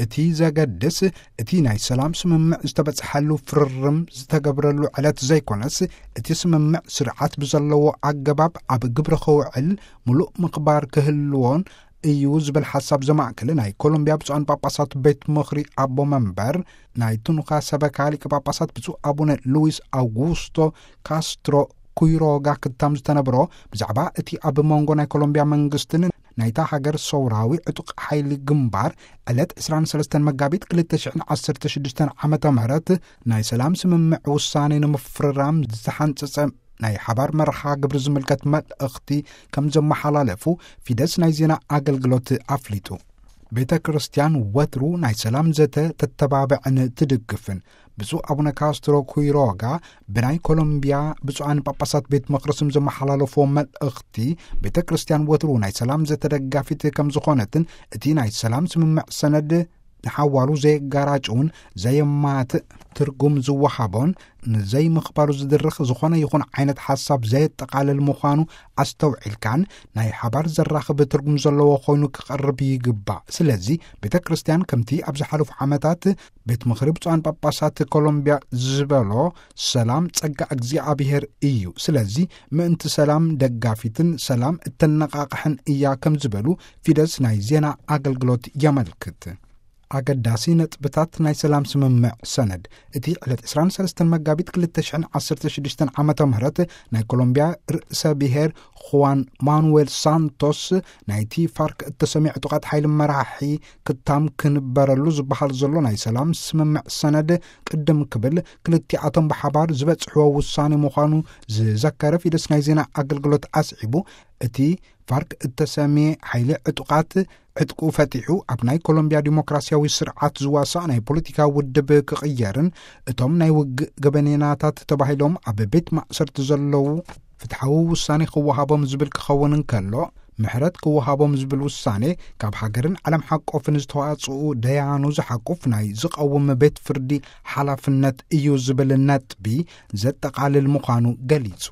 እቲ ዘገድስ እቲ ናይ ሰላም ስምምዕ ዝተበጽሐሉ ፍርርም ዝተገብረሉ ዕለት ዘይኮነስ፣ እቲ ስምምዕ ስርዓት ብዘለዎ ኣገባብ ኣብ ግብሪ ክውዕል ምሉእ ምኽባር ክህልዎን እዩ ዝብል ሓሳብ ዘማእከለ ናይ ኮሎምቢያ ብፁዓን ጳጳሳት ቤት ምኽሪ ኣቦ መንበር ናይ ቱኑኻ ሰበካ ሊቀ ጳጳሳት ብፁዕ ኣቡነ ሉዊስ ኣውጉስቶ ካስትሮ ኩይሮጋ ክታም ዝተነብሮ፣ ብዛዕባ እቲ ኣብ መንጎ ናይ ኮሎምቢያ መንግስትን ናይታ ሃገር ሰውራዊ ዕጡቕ ሓይሊ ግንባር ዕለት ዕስራን ሰለስተን መጋቢት ክልተ ሽሕን ዓሰርተ ሽዱሽተን ዓመተ ምህረት ናይ ሰላም ስምምዕ ውሳኔ ንምፍርራም ዝተሓንጸጸ ናይ ሓባር መርሃ ግብሪ ዝምልከት መልእኽቲ ከም ዘመሓላለፉ ፊደስ ናይ ዜና ኣገልግሎት ኣፍሊጡ። ቤተ ክርስቲያን ወትሩ ናይ ሰላም ዘተ ተተባብዕን ትድግፍን። ብፁዕ ኣቡነ ካስትሮ ኩይሮጋ ብናይ ኮሎምቢያ ብፁዓን ጳጳሳት ቤት ምኽሪ ስም ዘመሓላለፍዎ መልእኽቲ፣ ቤተ ክርስቲያን ወትሩ ናይ ሰላም ዘተ ደጋፊት ከም ዝኾነትን እቲ ናይ ሰላም ስምምዕ ሰነድ ንሓዋሩ ዘየጋራጭውን ዘየማትእ ትርጉም ዝወሃቦን ንዘይምኽባሩ ዝድርኽ ዝኾነ ይኹን ዓይነት ሓሳብ ዘየጠቓልል ምዃኑ ኣስተውዒልካን ናይ ሓባር ዘራኽብ ትርጉም ዘለዎ ኮይኑ ክቐርብ ይግባእ። ስለዚ ቤተ ክርስቲያን ከምቲ ኣብ ዝሓለፉ ዓመታት ቤት ምኽሪ ብፁዓን ጳጳሳት ኮሎምቢያ ዝበሎ ሰላም ጸጋ እግዚኣብሔር እዩ። ስለዚ ምእንቲ ሰላም ደጋፊትን ሰላም እተነቓቕሕን እያ ከም ዝበሉ ፊደስ ናይ ዜና ኣገልግሎት የመልክት። ኣገዳሲ ነጥብታት ናይ ሰላም ስምምዕ ሰነድ። እቲ ዕለት ዕስራን ሰለስተን መጋቢት ክልተ ሽሕን ዓሰርተ ሽዱሽተን ዓመተ ምህረት ናይ ኮሎምቢያ ርእሰ ብሔር ኹዋን ማኑዌል ሳንቶስ ናይቲ ፋርክ እተሰምየ ዕጡቓት ሓይሊ መራሒ ክታም ክንበረሉ ዝበሃል ዘሎ ናይ ሰላም ስምምዕ ሰነድ ቅድም ክብል ክልቲኣቶም ብሓባር ዝበጽሕዎ ውሳኔ ምዃኑ ዝዘከረ ፊደስ ናይ ዜና ኣገልግሎት ኣስዒቡ፣ እቲ ፋርክ እተሰምየ ሓይሊ ዕጡቓት ዕጥቁ ፈቲሑ ኣብ ናይ ኮሎምቢያ ዲሞክራሲያዊ ስርዓት ዝዋሳእ ናይ ፖለቲካ ውድብ ክቕየርን እቶም ናይ ውግእ ገበኔናታት ተባሂሎም ኣብ ቤት ማእሰርቲ ዘለዉ ፍትሓዊ ውሳኔ ክወሃቦም ዝብል ክኸውን እንከሎ፣ ምሕረት ክወሃቦም ዝብል ውሳኔ ካብ ሃገርን ዓለም ሓቆፍን ዝተዋጽኡ ደያኑ ዝሓቁፍ ናይ ዝቐውም ቤት ፍርዲ ሓላፍነት እዩ ዝብል ነጥቢ ዘጠቓልል ምዃኑ ገሊጹ።